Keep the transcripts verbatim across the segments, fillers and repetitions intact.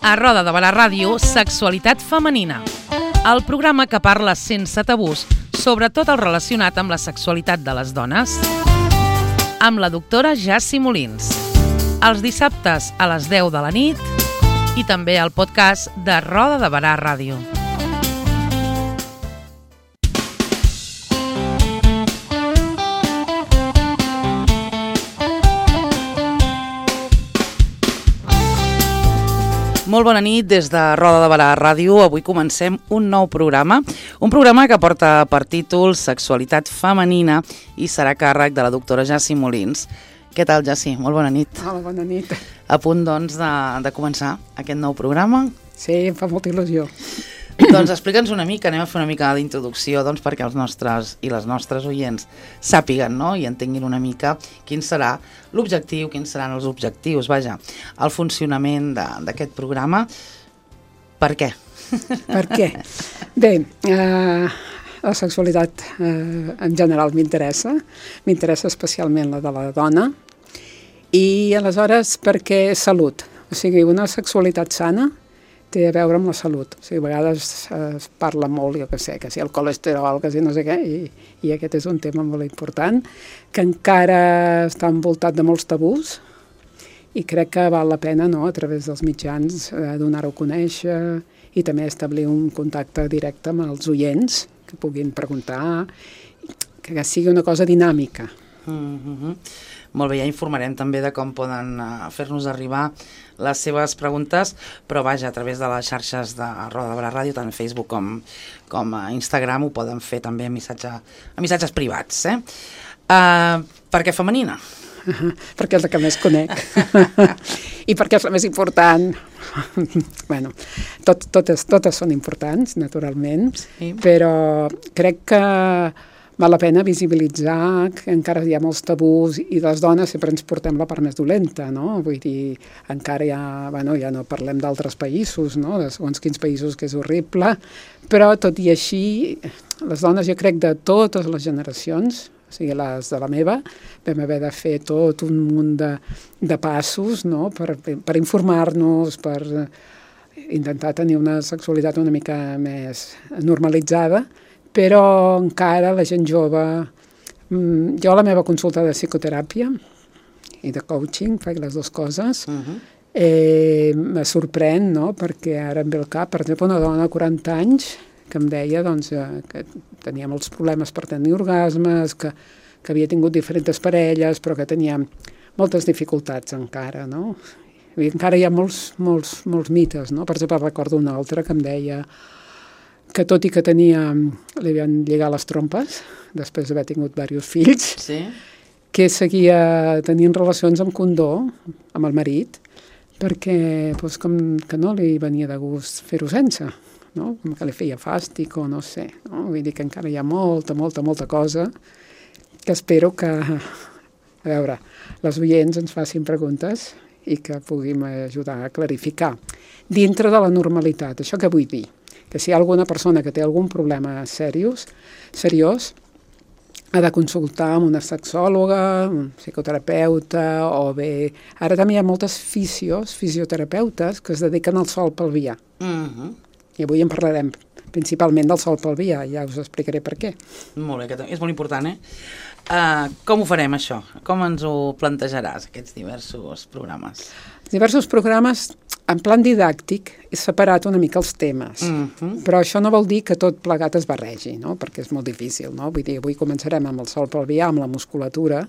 A Roda de Barà Ràdio, Sexualitat Femenina. El programa que parla sense tabús sobre tot el relacionat amb la sexualitat de les dones. Amb la doctora Jassi Molins. Els dissabtes a les deu de la nit i també al podcast de Roda de Barà Ràdio. Molt bona nit des de Roda de Barà Ràdio. Avui comencem un nou programa, un programa que porta per títol Sexualitat Femenina i serà a càrrec de la doctora Jassi Molins. Què tal, Jassi? Molt bona nit. Hola, bona nit. A punt, doncs, de, de començar aquest nou programa? Sí, em fa molta il·lusió. Doncs explica'ns una mica, anem a fer una mica d'introducció, doncs, perquè els nostres i les nostres oients sàpiguen, no?, i entenguin una mica quin serà l'objectiu, quins seran els objectius, vaja, el funcionament d'aquest programa. Per què? Per què? Bé, eh, la sexualitat eh, en general m'interessa, m'interessa especialment la de la dona, i aleshores perquè és salut, o sigui, una sexualitat sana té a veure amb la salut. O sigui, a vegades es parla molt, jo què sé, que si el colesterol, que si no sé què, i, i aquest és un tema molt important, que encara està envoltat de molts tabús, i crec que val la pena, no?, a través dels mitjans, eh, donar-ho a conèixer i també establir un contacte directe amb els oients, que puguin preguntar, que sigui una cosa dinàmica. Mm-hmm. Molt bé, ja informarem també de com poden uh, fer-nos arribar les seves preguntes, però vaja, a través de les xarxes de Roda de Barà Ràdio, tant a Facebook com, com a Instagram, ho poden fer també a, missatge, a missatges privats. Eh? Uh, per què femenina? Uh-huh, perquè és la que més conec. I perquè és la més important. bueno, tot, totes, totes són importants, naturalment, sí. Però crec que val la pena visibilitzar que encara hi ha molts tabús i les dones sempre ens portem la part més dolenta, no? Vull dir, encara ja, bueno, ja no parlem d'altres països, no? De segons quins països que és horrible, però tot i així, les dones jo crec de totes les generacions, o sigui, les de la meva, vam haver de fer tot un munt de, de passos, no? Per, per informar-nos, per intentar tenir una sexualitat una mica més normalitzada, però encara la gent jove, jo a la meva consulta de psicoteràpia i de coaching, faig les dues coses, uh-huh. eh, me sorprèn, no?, perquè ara em ve al cap, per exemple, una dona de quaranta anys que em deia doncs, que tenia molts problemes per tenir orgasmes, que, que havia tingut diferents parelles, però que tenia moltes dificultats encara, no? I encara hi ha molts, molts, molts mites, no? Per exemple, recordo una altra que em deia que tot i que tenia, li havien lligat les trompes, després d'haver tingut diversos fills, sí. Que seguia tenint relacions amb condó, amb el marit, perquè doncs, com que no li venia de gust fer-ho sense, no? Com que li feia fàstic o no sé. No? Vull dir que encara hi ha molta, molta, molta cosa que espero que, a veure, les oients ens facin preguntes i que puguin ajudar a clarificar. Dintre de la normalitat, això què vull dir? Que si hi ha alguna persona que té algun problema seriós, seriós, ha de consultar amb una sexòloga, un psicoterapeuta, o bé... Ara també hi ha moltes fisios, fisioterapeutes, que es dediquen al sòl pelvià. Uh-huh. I avui en parlarem principalment del sòl pelvià, ja us explicaré per què. Molt bé, que és molt important, eh? Uh, com ho farem, això? Com ens ho plantejaràs, aquests diversos programes? Diversos programes, en plan didàctic, he separat una mica els temes, uh-huh. Però això no vol dir que tot plegat es barregi, no? Perquè és molt difícil, no? Vull dir, avui començarem amb el sòl pelvià, amb la musculatura,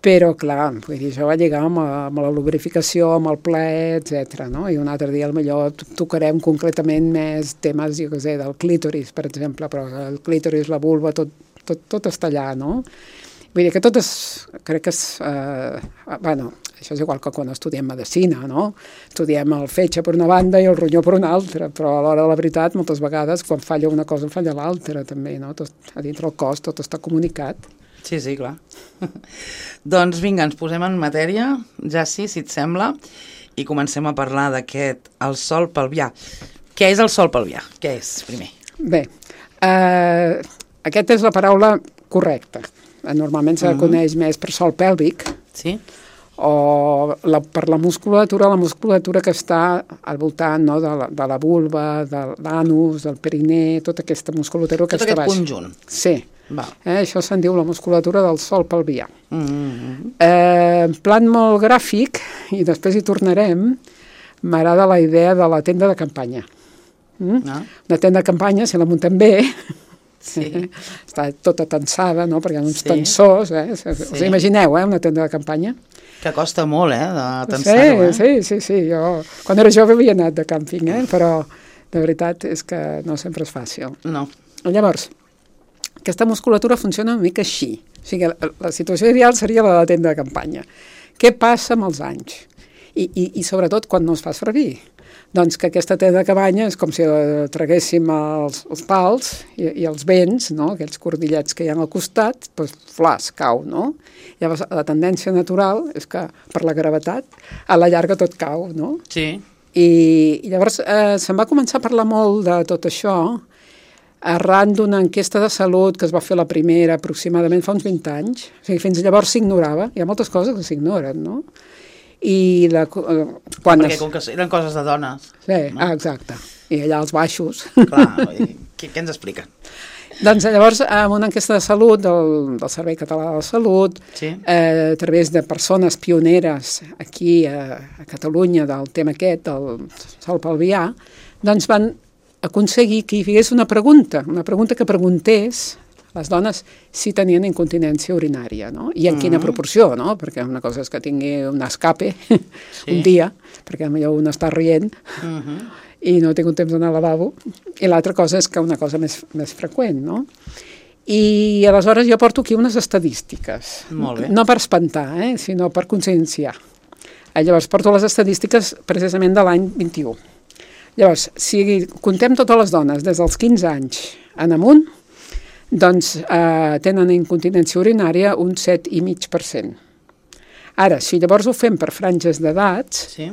però, clar, vull dir, això va lligar amb, amb la lubrificació, amb el plaer, etcètera, no? I un altre dia, potser tocarem concretament més temes, jo què sé, del clítoris, per exemple, però el clítoris, la vulva, tot, tot, tot està allà, no? Vull dir que tot és, crec que és, eh, bueno, això és igual que quan estudiem medicina, no? Estudiem el fetge per una banda i el ronyó per una altra, però a l'hora de la veritat, moltes vegades, quan falla una cosa, falla l'altra, també, no? Tot, a dintre el cos tot està comunicat. Sí, sí, clar. Doncs vinga, ens posem en matèria, Jassi, si et sembla, i comencem a parlar d'aquest, el sòl pelvià. Què és el sòl pelvià? Què és, primer? Bé, eh, aquesta és la paraula correcta. Normalment se la coneix més per sòl pèlvic, sí? o la, per la musculatura, la musculatura que està al voltant, no, de, la, de la vulva, de l'anus, del periné, tota aquesta musculatura que Tot està aquest baix. conjunt. Sí. Va. Eh, això se'n diu la musculatura del sòl pelvià. Mm-hmm. Eh, en plan molt gràfic, i després hi tornarem, m'agrada la idea de la tenda de campanya. Mm? Ah. Una tenda de campanya, si la muntem bé, Sí. està tota tensada, no? Perquè hi ha uns Sí. tensors, eh? Us Sí. imagineu, eh? Una tenda de campanya? Que costa molt, eh, de tensar-ho, eh? Sí, sí, sí, sí. Jo, quan era jove havia anat de càmping, eh? Però de veritat és que no sempre és fàcil. No. Llavors, aquesta musculatura funciona una mica així. O sigui, la, la situació ideal seria la de la tenda de campanya. Què passa amb els anys? I, i, i sobretot quan no es fa servir. Doncs que aquesta tenda de cabanya és com si la traguéssim els, els pals i, i els vents, no? Aquells cordillets que hi ha al costat, doncs flas, cau, no? Llavors, la tendència natural és que per la gravetat a la llarga tot cau, no? Sí. I, i llavors eh, se'n va començar a parlar molt de tot això arran d'una enquesta de salut que es va fer la primera aproximadament fa uns vint anys. O sigui, fins llavors s'ignorava. Hi ha moltes coses que s'ignoren, no? I la, eh, quan Perquè es... com que eren coses de dones. Sí, no? ah, exacte. I allà als baixos. Clar, què, què ens explica? Doncs llavors, amb una enquesta de salut del, del Servei Català de la Salut, Sí. eh, a través de persones pioneres aquí a, a Catalunya del tema aquest, del sòl pelvià, doncs van aconseguir que hi hagués una pregunta, una pregunta que preguntés les dones si tenien incontinència urinària, no? I en quina proporció, no? Perquè una cosa és que tingui un escape Sí. un dia, perquè potser un està rient Uh-huh. i no ha tingut temps d'anar al lavabo, i l'altra cosa és que una cosa més, més freqüent, no? I aleshores jo porto aquí unes estadístiques. Molt bé. No per espantar, eh? Sinó per conscienciar. Eh, Llavors, porto les estadístiques precisament de l'any vint-i-u. Llavors, si contem totes les dones des dels quinze anys en amunt, doncs eh, tenen incontinència urinària un set coma cinc per cent. Ara, si llavors ho fem per franges d'edats, Sí.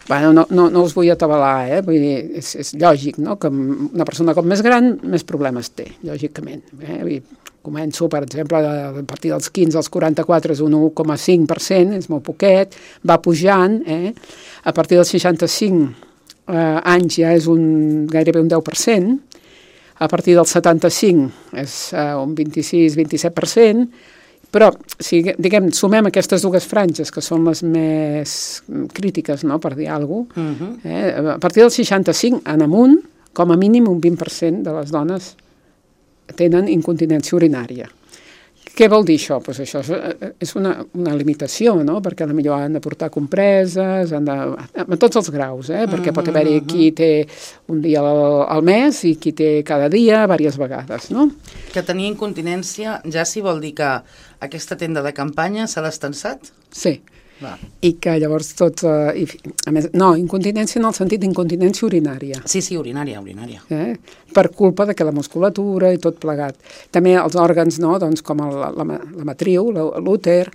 bueno, no, no, no us vull atabalar, eh? Vull dir, és, és lògic, no? Que una persona com més gran, més problemes té, lògicament. Eh? Vull dir, començo, per exemple, a partir dels quinze als quaranta-quatre és un un coma cinc per cent, és molt poquet, va pujant, eh? A partir dels seixanta-cinc eh, anys ja és un, gairebé un deu per cent, a partir del setanta-cinc és uh, un vint-i-sis vint-i-set per cent, però si diguem, sumem aquestes dues franges, que són les més crítiques, no?, per dir alguna cosa, Uh-huh. eh, a partir del seixanta-cinc en amunt, com a mínim un vint per cent de les dones tenen incontinència urinària. Què vol dir això? Pues això és, és una, una limitació, no? Perquè potser han de portar compreses, han de, a tots els graus, eh? Perquè pot haver-hi qui té un dia al, al mes i qui té cada dia, diverses vegades, no? Que tenir incontinència ja sí vol dir que aquesta tenda de campanya se l'ha estensat? Sí. Va. I que llavors tots... Eh, i, a més, no, incontinència en el sentit d'incontinència urinària. Sí, sí, urinària, urinària. Eh? Per culpa de que la musculatura i tot plegat. També els òrgans, no? Doncs com el, la, la matriu, l'úter,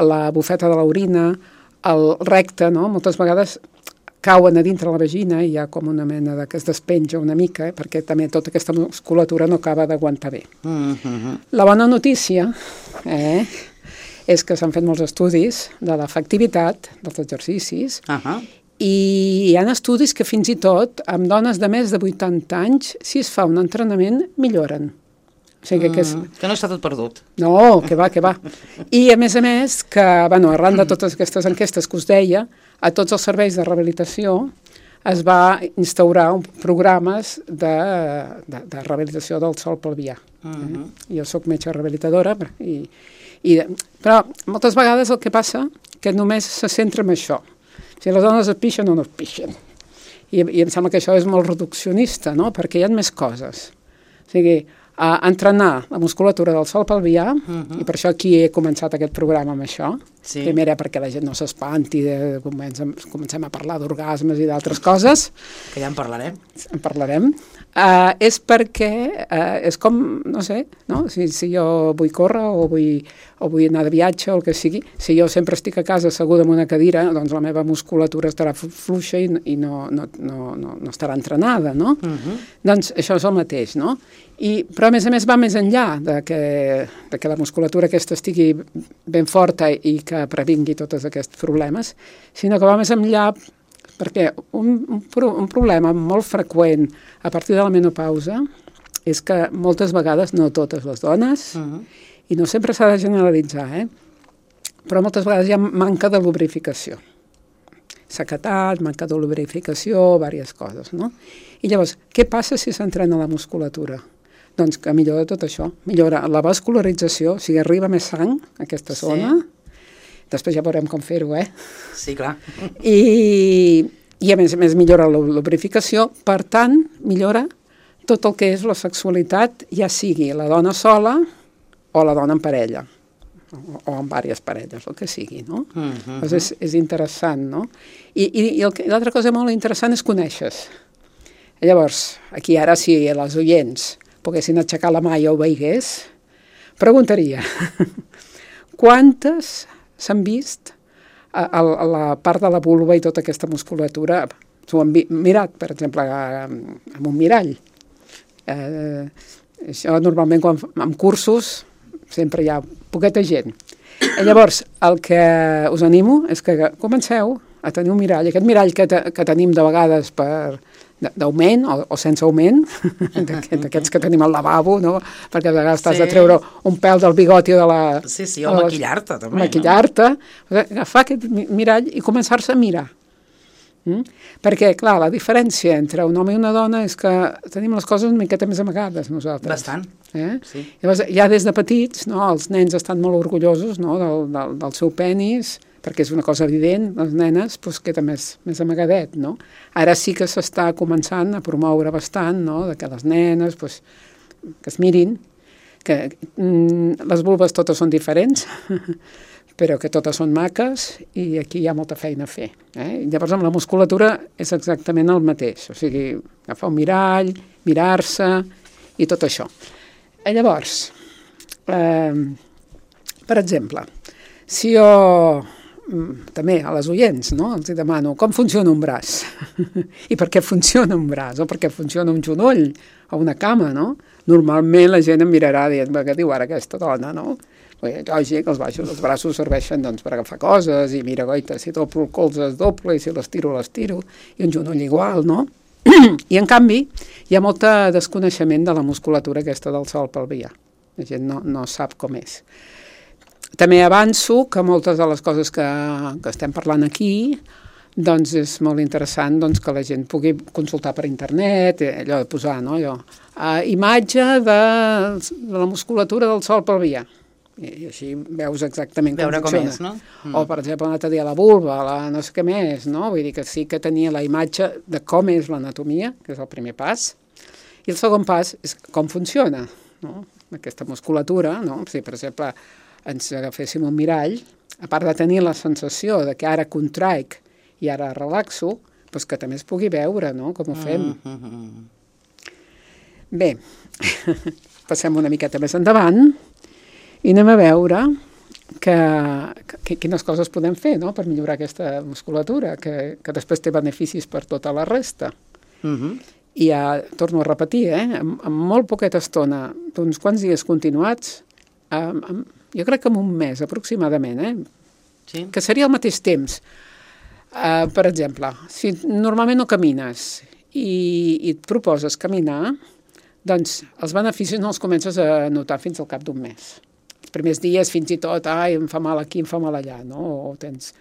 la bufeta de l'orina, el recte, no? Moltes vegades cauen a dintre la vagina i hi ha com una mena de que es despenja una mica, eh? Perquè també tota aquesta musculatura no acaba d'aguantar bé. Uh-huh. La bona notícia, eh? és que s'han fet molts estudis de l'efectivitat dels exercicis Uh-huh. i hi ha estudis que fins i tot amb dones de més de vuitanta anys, si es fa un entrenament, milloren. O sigui que, és... Mm, que no està tot perdut. No, que va, que va. I a més a més, que bueno, arran de totes aquestes enquestes que us deia, a tots els serveis de rehabilitació es va instaurar un, programes de, de, de rehabilitació del sòl pelvià. Uh-huh. Eh? Jo soc metge rehabilitadora i I, però moltes vegades el que passa que només se centra en això. Si les dones es pixen o no es pixen. I, i em sembla que això és molt reduccionista, no? Perquè hi ha més coses. O sigui, a entrenar la musculatura del sòl pelvià, uh-huh. i per això aquí he començat aquest programa amb això. Sí. Primera perquè la gent no s'espanti, de, comencem, comencem a parlar d'orgasmes i d'altres coses. Que ja en parlarem. En parlarem. Uh, és perquè uh, és com, no sé, no? Si, si jo vull córrer o vull, o vull anar de viatge o el que sigui, si jo sempre estic a casa asseguda en una cadira, doncs la meva musculatura estarà fluixa i, i no, no, no, no, no estarà entrenada, no? Uh-huh. Doncs això és el mateix, no? I, però a més a més va més enllà de que, de que la musculatura aquesta estigui ben forta i que que previngui tots aquests problemes, sinó que va més enllà, perquè un, un, un problema molt freqüent a partir de la menopausa és que moltes vegades, no totes les dones, uh-huh. i no sempre s'ha de generalitzar, eh? però moltes vegades hi ha manca de lubrificació. Sequetat, manca de lubrificació, diverses coses, no? I llavors, què passa si s'entrena la musculatura? Doncs que millora tot això, millora la vascularització, o sigui, arriba més sang a aquesta zona, sí. Després ja veurem com fer-ho, eh? Sí, clar. I, i a més a més millora la lubrificació, per tant, millora tot el que és la sexualitat, ja sigui la dona sola o la dona en parella, o, o en diverses parelles, el que sigui, no? Uh -huh. Doncs és, és interessant, no? I, i, i l'altra cosa molt interessant és conèixer-se. Llavors, aquí ara, si les oients poguessin aixecar la mà i ho veigués, preguntaria, quantes s'han vist a, a, a la part de la vulva i tota aquesta musculatura? S'ho han mirat, per exemple, amb un mirall. Eh, això normalment quan, en cursos sempre hi ha poqueta gent. I llavors, el que us animo és que comenceu a tenir un mirall. Aquest mirall que, te, que tenim de vegades per d'augment o, o sense augment, d'aquests que tenim al lavabo, no? Perquè a vegades sí. T'has de treure un pèl del bigoti de la... Sí, sí, o maquillar-te també. Maquillar-te, no? Agafar aquest mirall i començar-se a mirar. Mm? Perquè, clar, la diferència entre un home i una dona és que tenim les coses una miqueta més amagades nosaltres. Bastant, eh? sí. Llavors, ja des de petits, no, els nens estan molt orgullosos, no, del, del, del seu penis, perquè és una cosa evident, les nenes pues, queda més, més amagadet, no? Ara sí que s'està començant a promoure bastant, no?, de que les nenes pues, que es mirin, que mm, les vulves totes són diferents, però que totes són maques i aquí hi ha molta feina a fer. Eh? Llavors amb la musculatura és exactament el mateix, o sigui, agafar un mirall, mirar-se i tot això. I llavors, eh, per exemple, si jo també a les oients, no? Els demano com funciona un braç i per què funciona un braç o per què funciona un genoll o una cama, no? Normalment la gent em mirarà dient, què diu ara aquesta dona, no? Lògic, els, baixos, els braços serveixen doncs, per agafar coses i mira, goita, si doblo el colze es doble i si les tiro, les tiro i un genoll igual, no? I en canvi hi ha molt desconeixement de la musculatura aquesta del sòl pelvià. La gent no, no sap com és. També avanço que moltes de les coses que, que estem parlant aquí doncs és molt interessant doncs, que la gent pugui consultar per internet, allò de posar, no? Allò, uh, imatge de, de la musculatura del sòl pelvià. I així veus exactament com Veure funciona. Com és, no? Mm. O, per exemple, un altre dia la vulva, la no sé què més, no? Vull dir que sí que tenia la imatge de com és l'anatomia, que és el primer pas, i el segon pas és com funciona, no? Aquesta musculatura, no? Si, per exemple, ens agaféssim un mirall, a part de tenir la sensació de que ara contraic i ara relaxo, doncs que també es pugui veure, no?, com ho fem. Mm-hmm. Bé, passem una miqueta més endavant i anem a veure que, que, quines coses podem fer, no?, per millorar aquesta musculatura, que, que després té beneficis per tota la resta. Mm-hmm. I ja torno a repetir, eh, en, en molt poqueta estona, d'uns quants dies continuats, amb, amb jo crec que en un mes aproximadament, eh? Sí. Que seria al mateix temps. Uh, per exemple, si normalment no camines i, i et proposes caminar, doncs els beneficis no els comences a notar fins al cap d'un mes. Els primers dies fins i tot, ai, em fa mal aquí, em fa mal allà, no? O tens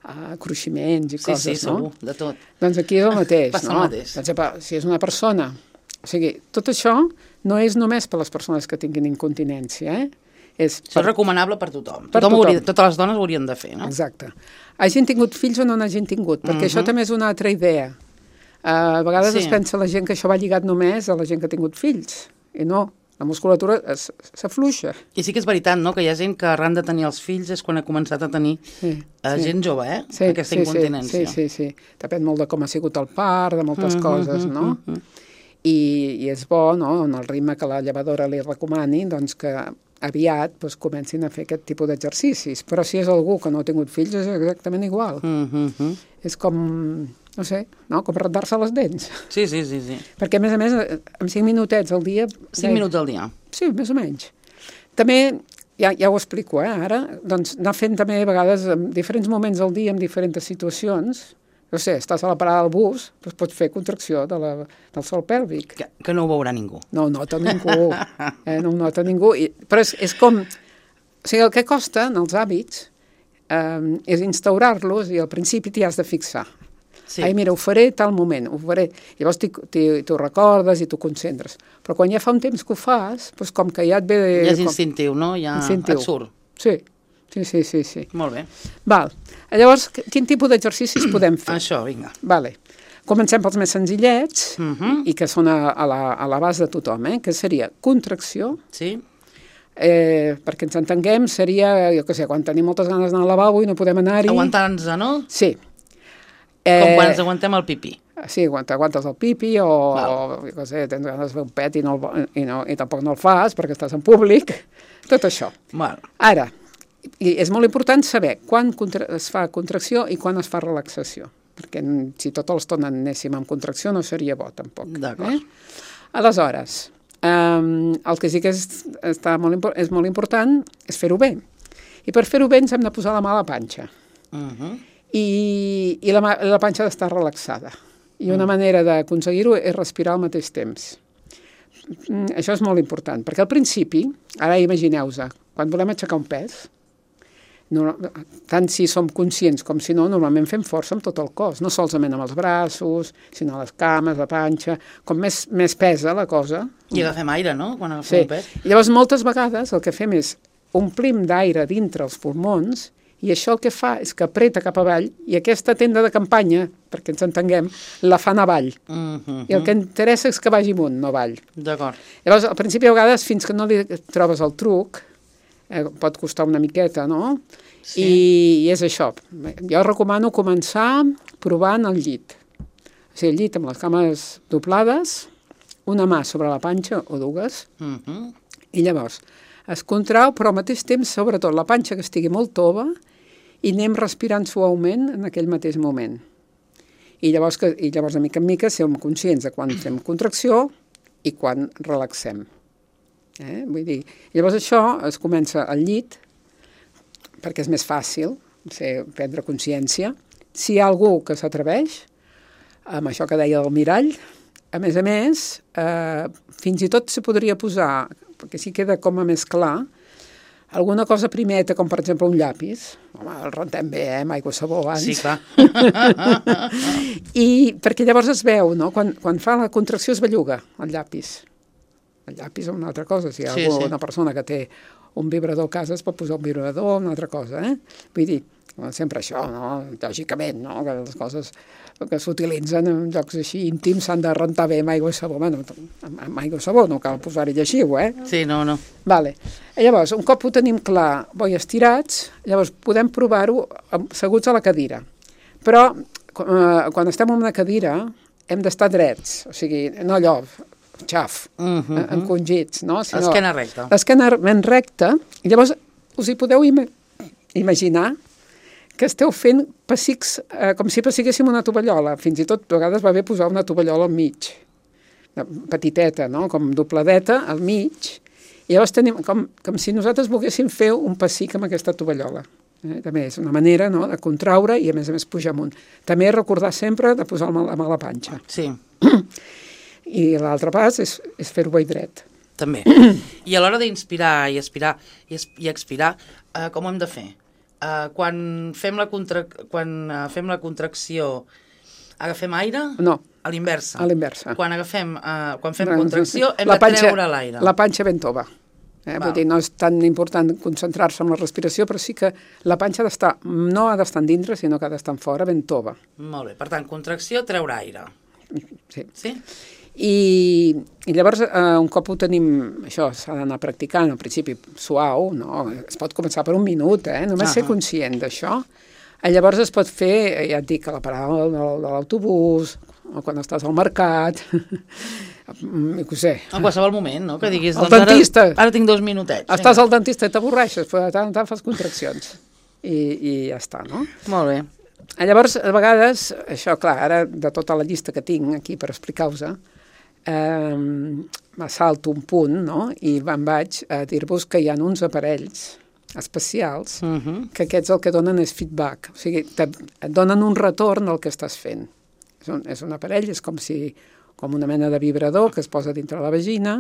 uh, cruiximents i sí, coses, sí, no? Sí, segur, de tot. Doncs aquí és el mateix, Passa no? el mateix. Per exemple, si és una persona... O sigui, tot això no és només per les persones que tinguin incontinència, eh? És, Això és recomanable per tothom. Per tothom tothom. Hauria, totes les dones ho haurien de fer, no? Exacte. Hagin tingut fills o no n'hagin tingut, perquè uh-huh. això també és una altra idea. Uh, a vegades sí. es pensa la gent que això va lligat només a la gent que ha tingut fills, i no, la musculatura s'afluixa. I sí que és veritat, no?, que hi ha gent que arran de tenir els fills és quan ha començat a tenir sí, uh, sí. gent jove, eh?, sí, aquesta sí, incontinència. Sí, sí, sí. Depèn molt de com ha sigut el part, de moltes uh-huh, coses, no? Uh-huh. I, I és bo, no?, en el ritme que la llevadora li recomani, doncs que aviat doncs, comencin a fer aquest tipus d'exercicis. Però si és algú que no ha tingut fills és exactament igual. Uh-huh. És com, no sé, no? com rentar-se les dents. Sí, sí, sí, sí. Perquè, a més a més, amb cinc minutets al dia... Cinc minuts al dia. Sí, més o menys. També ja, ja ho explico, eh, ara, doncs anar fent també a vegades en diferents moments del dia, en diferents situacions. No sé, estàs a la parada del bus, doncs pots fer contracció de la, del sòl pèlvic. Que, que no ho veurà ningú. No ho nota ningú, eh, no ho nota ningú. I, però és, és com... O sigui, el que costa en els hàbits eh, és instaurar-los i al principi t'hi has de fixar. Sí. Ai, mira, ho faré tal moment, ho faré. Llavors t'ho recordes i t'ho concentres. Però quan ja fa un temps que ho fas, doncs com que ja et ve... De, ja és com... instintiu, no? Ja instintiu. Et surt. Sí. Sí, sí, sí, sí. Molt bé. Val. Llavors, quin tipus d'exercicis podem fer? Això, vinga. Vale. Comencem pels més senzillets, uh -huh. i que són a, a, la, a la base de tothom, eh? Que seria contracció. Sí. Eh, perquè ens entenguem, seria, jo què sé, quan tenim moltes ganes d'anar al lavabo i no podem anar-hi... Aguantar-nos, no? Sí. Eh, Com quan ens aguantem el pipí. Sí, quan t'aguantes el pipi o, o jo què sé, tens ganes de fer un pet i, no el, i, no, i tampoc no el fas perquè estàs en públic. Tot això. Val. Ara, i és molt important saber quan es fa contracció i quan es fa relaxació, perquè si tota l'estona anéssim amb contracció no seria bo, tampoc. D'acord. Eh? Aleshores, um, el que sí que és, està molt, és molt important és fer-ho bé. I per fer-ho bé ens hem de posar la mà a la panxa. Uh -huh. I, i la, la panxa ha d'estar relaxada. I una uh -huh. manera d'aconseguir-ho és respirar al mateix temps. Això és molt important, perquè al principi, ara imagineu-vos, quan volem aixecar un pes, no, tant si som conscients com si no, normalment fem força amb tot el cos, no solament amb els braços, sinó les cames, la panxa, com més, més pesa la cosa. I agafem aire, no?, quan agafem sí. un pes. I llavors moltes vegades el que fem és omplim d'aire dintre els pulmons i això el que fa és que apreta cap avall i aquesta tenda de campanya, perquè ens entenguem, la fan avall. Uh -huh. I el que interessa és que vagi amunt, no avall. D'acord. Llavors, al principi, a vegades, fins que no li trobes el truc, eh, pot costar una miqueta, no? Sí. I, I és això. Jo recomano començar provant el llit. O sigui, el llit amb les cames doblades, una mà sobre la panxa o dues, uh -huh. i llavors es contrau, però al mateix temps, sobretot, la panxa que estigui molt tova i anem respirant suaument en aquell mateix moment. I llavors, que, i llavors de mica en mica, som conscients de quan fem contracció i quan relaxem. Eh? Vull dir, llavors això es comença al llit, perquè és més fàcil ser, prendre consciència. Si hi ha algú que s'atreveix, amb això que deia del mirall, a més a més, eh, fins i tot se podria posar, perquè si queda com a més clar, alguna cosa primeta, com per exemple un llapis. Home, el rentem bé, eh, amb aigua i sabó abans. Sí, clar. I perquè llavors es veu, no? Quan, quan fa la contracció es belluga el llapis. El llapis és una altra cosa. Si hi ha sí, alguna sí. persona que té un vibrador a casa es pot posar un vibrador, una altra cosa, eh? Vull dir, sempre això, no? Lògicament, no? Que les coses que s'utilitzen en llocs així íntims s'han de rentar bé amb aigua i sabó. Bueno, amb aigua i sabó no cal posar-hi lleixiu, eh? Sí, no, no. Vale. I llavors, un cop ho tenim clar, bo i estirats, llavors podem provar-ho asseguts a la cadira. Però eh, quan estem en una cadira hem d'estar drets, o sigui, no allò, xaf, uh -huh. encongits, no? Sinó l'esquena recta. L'esquena ben recta, i llavors us hi podeu im imaginar que esteu fent pessics, eh, com si pessiguéssim una tovallola. Fins i tot a vegades va bé posar una tovallola al mig, petiteta, no? Com dobladeta al mig, i llavors tenim com, com si nosaltres volguéssim fer un pessic amb aquesta tovallola. Eh? També és una manera, no?, de contraure i a més a més pujar amunt. També recordar sempre de posar la mà a la panxa. Sí. I l'altre pas és, és fer-ho bé dret. També. I a l'hora d'inspirar i expirar, i, i expirar, eh, com ho hem de fer? Uh, quan, fem la contra... quan uh, fem la contracció, agafem aire? No. A l'inversa. A l'inversa. Quan agafem, uh, quan fem contracció hem la de panxa, treure l'aire. La panxa ben tova. Eh? Vull dir, no és tan important concentrar-se en la respiració, però sí que la panxa ha d'estar, no ha d'estar dintre, sinó que ha d'estar fora, ben tova. Molt bé. Per tant, contracció, treure aire. Sí. Sí? I, i llavors, eh, un cop ho tenim, això s'ha d'anar practicant, al principi suau, no? Es pot començar per un minut, eh? Només uh -huh. ser conscient d'això. Llavors es pot fer, ja et dic, a la parada de, de l'autobús, o quan estàs al mercat, i què sé. En qualsevol moment, no? Que diguis, doncs dentista. Ara, ara tinc dos minutets. Estàs al dentista i t'avorreixes, però de tant en tant fas contraccions. I, I ja està, no? Molt bé. Llavors, a vegades, això, clar, ara de tota la llista que tinc aquí per explicar-vos, eh, m'assalto un punt, no? I me'n vaig a dir-vos que hi ha uns aparells especials uh-huh. que aquests el que donen és feedback, o sigui, te, et donen un retorn al que estàs fent. És un, és un aparell, és com si com una mena de vibrador que es posa dintre la vagina,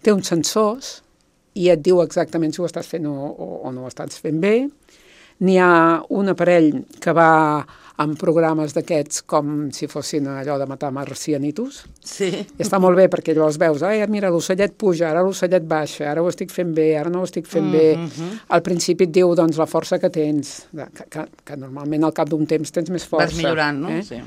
té uns sensors i et diu exactament si ho estàs fent o, o, o no ho estàs fent bé. N'hi ha un aparell que va amb programes d'aquests com si fossin allò de matar marcianitos. Sí. I està molt bé perquè llavors veus, ai, mira, l'ocellet puja, ara l'ocellet baixa, ara ho estic fent bé, ara no ho estic fent bé. Mm-hmm. Al principi et diu, doncs, la força que tens, que, que, que normalment al cap d'un temps tens més força. Vas millorant, no? Eh? Sí.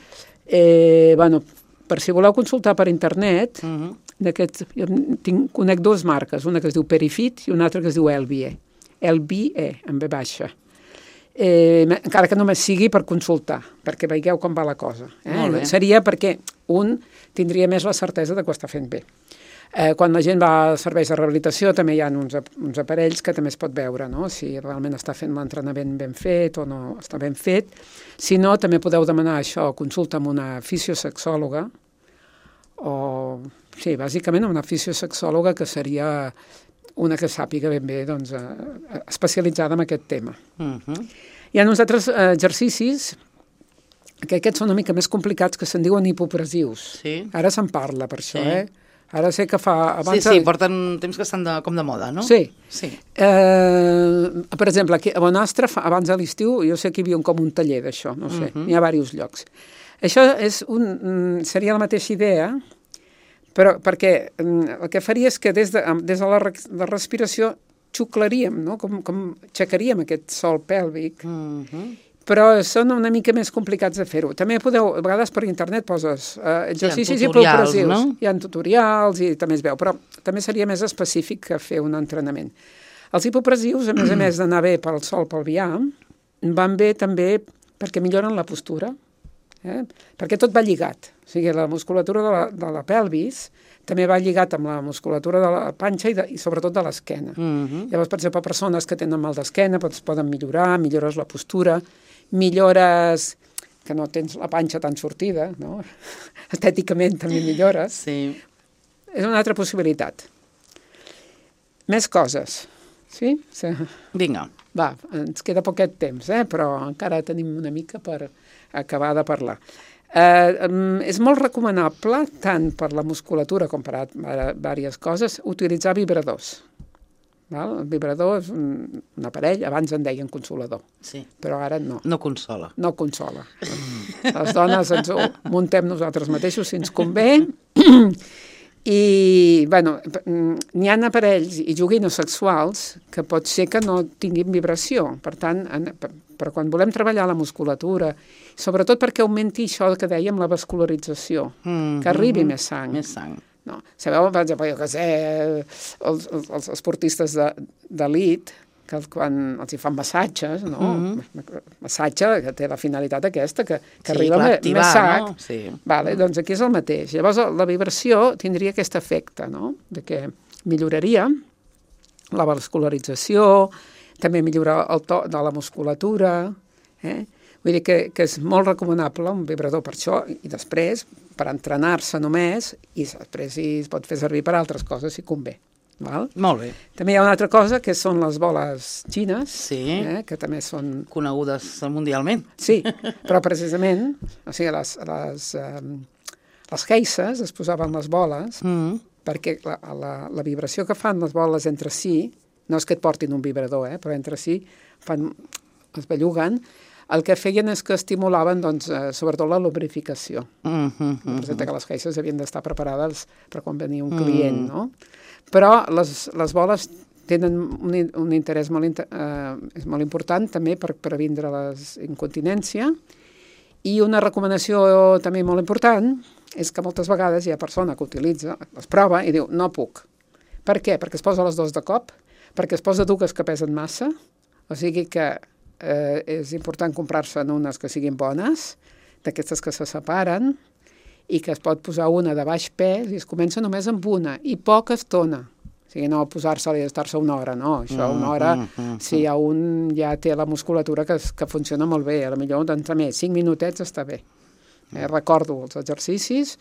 Eh, bueno, per si voleu consultar per internet, Mm-hmm. d'aquests, jo tinc, conec dues marques, una que es diu Perifit i una altra que es diu Elbie. Elbie, en B baixa. Eh, encara que només sigui per consultar, perquè veieu com va la cosa. Eh? Seria perquè un tindria més la certesa de que ho està fent bé. Eh, quan la gent va a serveis de rehabilitació també hi ha uns, uns aparells que també es pot veure, no? Si realment està fent l'entrenament ben fet o no està ben fet. Si no, també podeu demanar això, consulta amb una fisiosexòloga o, sí, bàsicament una fisiosexòloga que seria una que sàpiga ben bé, doncs, eh, especialitzada en aquest tema. Uh-huh. Hi ha uns altres eh, exercicis que aquests són una mica més complicats, que se'n diuen hipopressius. Sí. Ara se'n parla per això, sí. eh? Ara sé que fa... Abans sí, sí, porten temps que estan de, com de moda, no? Sí. sí. Eh, per exemple, aquí a Bonastre, fa, abans de l'estiu, jo sé que hi havia un, com un taller d'això, no sé, uh-huh. N'hi ha diversos llocs. Això és un, seria la mateixa idea, però perquè el que faria és que des de, des de la, la respiració xuclaríem, no? Com, com aixecaríem aquest sòl pèlvic, uh-huh. Però són una mica més complicats de fer-ho. També podeu, a vegades per internet poses uh, exercicis sí, hipopressius. No? Hi ha tutorials i també es veu, però també seria més específic que fer un entrenament. Els hipopressius, a més a més d'anar bé pel sòl pelvià, van bé també perquè milloren la postura, eh? Perquè tot va lligat. O sigui, la musculatura de la, de la pelvis també va lligat amb la musculatura de la panxa i, de, i sobretot de l'esquena. Uh-huh. Llavors, per exemple, persones que tenen mal d'esquena doncs poden millorar, millores la postura, millores que no tens la panxa tan sortida, no? Estèticament també millores. Sí. És una altra possibilitat. Més coses, sí? Vinga. Va, ens queda poquet temps, eh? Però encara tenim una mica per acabar de parlar. Eh, és molt recomanable, tant per la musculatura com per diverses coses, utilitzar vibradors. Val? El vibrador és un, un aparell, abans en deien consolador, sí. Però ara no. No consola. No consola. Les dones ens ho muntem nosaltres mateixos si ens convé. I, bueno, n'hi ha aparells i joguines sexuals que pot ser que no tinguin vibració. Per tant, en, però quan volem treballar la musculatura, sobretot perquè augmenti això que dèiem, la vascularització, mm-hmm. que arribi més sang. Més sang. No. Sabeu, per exemple, jo que sé, els, els esportistes d'elit, que quan els hi fan massatges, no? Mm-hmm. Massatge que té la finalitat aquesta, que, que sí, arriba activar, més sac. No? Sí. Vale, doncs aquí és el mateix. Llavors la vibració tindria aquest efecte, no? De que milloraria la vascularització, també millora el to de la musculatura, eh? Vull dir que, que és molt recomanable un vibrador per això, i després per entrenar-se només, i després es pot fer servir per altres coses si convé. Val? Molt bé. També hi ha una altra cosa, que són les boles xines, sí. eh, que també són... conegudes mundialment. Sí, però precisament, o sigui, les, les, um, les geisses es posaven les boles, mm. perquè la, la, la vibració que fan les boles entre si, no és que et portin un vibrador, eh, però entre si fan, es belluguen, el que feien és que estimulaven, doncs, eh, sobretot la lubrificació. Mm-hmm, representa que les geisses havien d'estar preparades per quan venia un client, mm. no? Però les, les boles tenen un, un interès molt, eh, és molt important també per previndre les incontinència, i una recomanació també molt important és que moltes vegades hi ha persona que utilitza, les prova i diu, no puc. Per què? Perquè es posa les dos de cop, perquè es posa dues que pesen massa, o sigui que Eh, és important comprar-se en unes que siguin bones, d'aquestes que se separen, i que es pot posar una de baix pes, i es comença només amb una, i poca estona. O sigui, no posar-se-li i estar-se una hora, no. Això, una hora, mm, mm, mm. si hi ha un ja té la musculatura que, que funciona molt bé, a la millor d'entrar més, cinc minutets està bé. Eh, recordo els exercicis,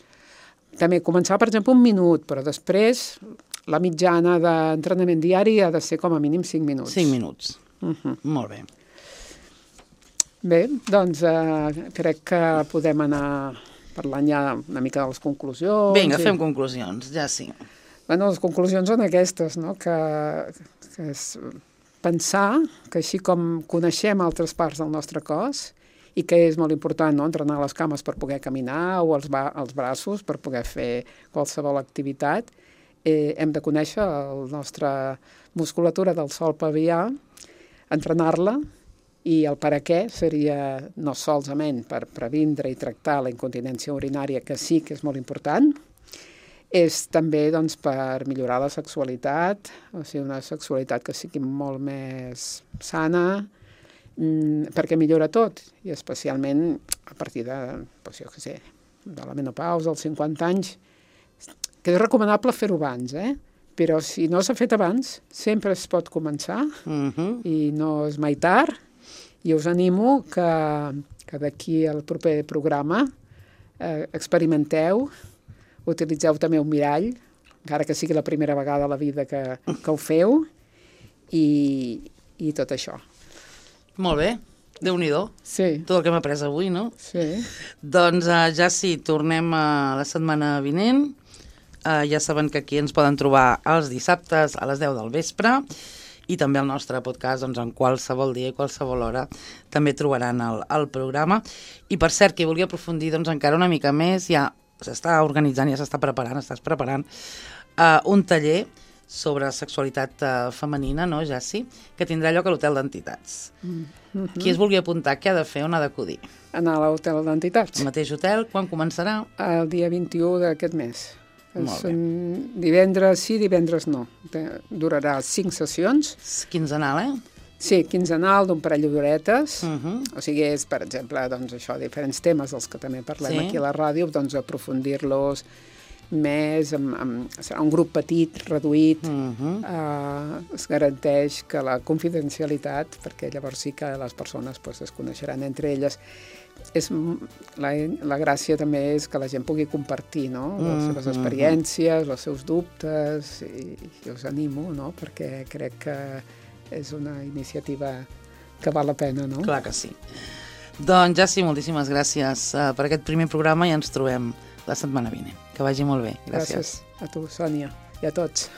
també començar, per exemple, un minut, però després la mitjana d'entrenament diari ha de ser com a mínim cinc minuts. cinc minuts. Uh-huh. Molt bé. Bé, doncs eh, crec que podem anar parlant ja una mica de les conclusions. Vinga, i... fem conclusions, ja sí. Bueno, les conclusions són aquestes, no? Que, que és pensar que així com coneixem altres parts del nostre cos i que és molt important, no?, entrenar les cames per poder caminar o els, ba els braços per poder fer qualsevol activitat, eh, hem de conèixer la nostra musculatura del sòl pelvià, entrenar-la, i el per a què seria no solament per previndre i tractar la incontinència urinària, que sí que és molt important, és també doncs, per millorar la sexualitat, o sigui, una sexualitat que sigui molt més sana, mmm, perquè millora tot, i especialment a partir de, doncs, jo què sé, de la menopausa, als cinquanta anys, que és recomanable fer-ho abans, eh? Però si no s'ha fet abans, sempre es pot començar, Uh-huh. i no és mai tard, i us animo que, que d'aquí al proper programa eh, experimenteu, utilitzeu també un mirall, encara que sigui la primera vegada a la vida que, que ho feu, i, i tot això. Molt bé, Déu-n'hi-do. Sí, Tot el que hem après avui, no? sí. Doncs uh, ja sí, tornem uh, la setmana vinent. Uh, ja saben que aquí ens poden trobar els dissabtes a les deu del vespre, i també el nostre podcast, doncs, en qualsevol dia i qualsevol hora també trobaran el, el programa. I per cert, qui vulgui aprofundir doncs, encara una mica més, ja s'està organitzant, ja s'està preparant, estàs preparant uh, un taller sobre sexualitat uh, femenina, no, Jassi? Que tindrà lloc a l'Hotel d'Entitats. Mm-hmm. Qui es vulgui apuntar, què ha de fer, on ha d'acudir? Anar a l'Hotel d'Entitats. El mateix hotel, quan començarà? El dia vint-i-u d'aquest mes. Molt bé. Són divendres sí, divendres no. Durarà cinc sessions. Quinzenal, eh? Sí, quinzenal d'un parell d'horetes. Uh -huh. O sigui, és, per exemple, doncs, això, diferents temes dels que també parlem Sí. aquí a la ràdio, doncs aprofundir-los més, amb, amb, serà un grup petit, reduït, Uh -huh. eh, es garanteix que la confidencialitat, perquè llavors sí que les persones pues, es coneixeran entre elles, és, la, la gràcia també és que la gent pugui compartir, no?, les Mm, seves experiències, els seus dubtes, i, i us animo, no?, perquè crec que és una iniciativa que val la pena, no? Clar que sí. Doncs ja sí, moltíssimes gràcies uh, per aquest primer programa i ens trobem la setmana vinent. Que vagi molt bé. Gràcies. Gràcies a tu, Sònia, i a tots.